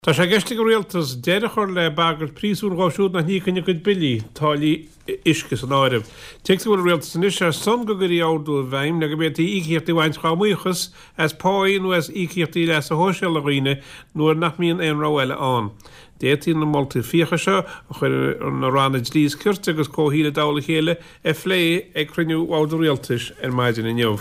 Tá sé i gceist ag an Rialtas deireadh a chur le bagairt príosúin dhóibh siúd nach n-íocann a gcuid billí, táillí uisce san áireamh. Tuigtear go bhfuil an Rialtas anois ar son go gcuirfí ordú i bhfeidhm le go bhféadfaí íocaíochtaí a bhaint dá mbuíochas as páí nó as íocaíochtaí leasa shóisialaigh dhaoine nuair nach mbíonn aon rogha eile ann. D'fhéadfaí na moltaí fiacha seo, a chuir na ranna Dlí is Cirt agus Comhshaoil i dtoll a chéile, a phlé ag cruinniú Bhord an Rialtais ar maidin inniu.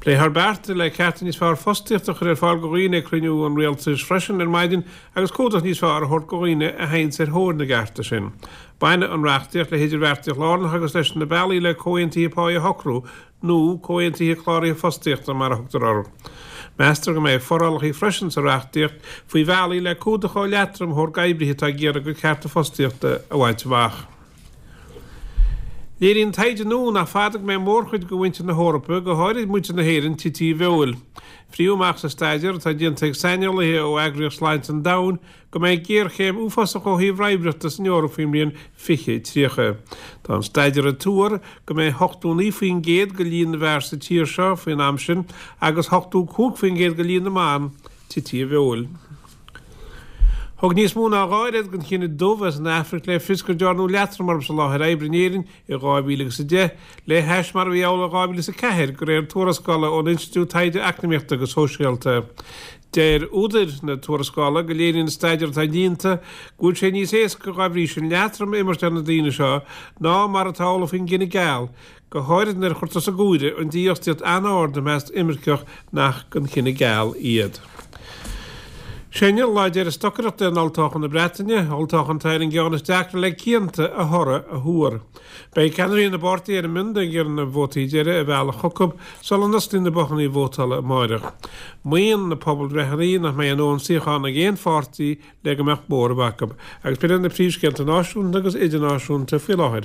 Pléifear bearta le cearta níos fearr fostaíochta a chur ar fáil do dhaoine ag cruinniú an Rialtais freisin ar maidin agus cumhdach níos fearr a thabhairt do dhaoine a théanns ar thóir na gcearta sin. Bainfidh an reachtaíocht le hidirbheartaíocht lárnach agus leis na bealaí le comhaontuithe páí a shocrú nó comhaontuithe cláraithe fostaíochta mar a thugtar orthu. Meastar go mbeidh forálacha freisin sa reachtaíocht faoi bhealaí le cumhdach ó leatrom a thabhairt d'oibrithe atá ag iarraidh a gcuid cearta fostaíochta a bhaint amach. Léiríonn taighde nua nach fada go mbeidh mórchuid de mhuintir na hEorpa, go háirid muintir na hÉireann, tite i bhfeoil. Frítheadh amach sa staidéar atá déanta ag saineolaithe ó Eagraíocht Sláinte an Domhain go mbeidh géarchéim uafásach ó thaobh raimhreachta san Eoraip faoin mbliain 2030. Tá an staidéar ag tuar go mbeidh 89% de líon na bhfear sa tír seo faoin am sin agus 85% de líon na mban tite i bhfeoil. Thug níos mó ná dhá oiread den chine dubh as an Afraic le fios go ndearnadh leatrom orthu sa láthair oibre in Éirinn i 2010, le hais mar a bhí amhlaidh i 2004, de réir tuarascála ón Institiúid Taighde Eacnamaíochta agus Sóisialta. Deir údair na tuarascála go léiríonn an staidéar atá déanta go bhfuil sé níos éasca dá bhrí sin leatrom a imirt ar na daoine seo ná mar atá amhlaidh faoin gcine geal, go háirid nuair a chuirtear san áireamh an dífhostaíocht an-ard i measc imirceach nach den chine geal iad. Sé inniu lá deiridh stocaireachta in olltoghchán na Breataine, olltoghchán atá ar an gceann is deacra le cianta a thoradh a thuar. Beidh ceannairí na bpáirtithe ar a mbionda ag iarraidh na vótaí deiridh a mhealladh chucu sula n-osclaíonn na bothanna vótála amáireach. Maíonn na pobalbhreitheanna nach mbeidh a ndóthain suíochán ag aon pháirtí le go mbeadh móramh acu. Agus b'in iad na príomhscéalta náisiúnta agus idirnáisiúnta faoi láthair.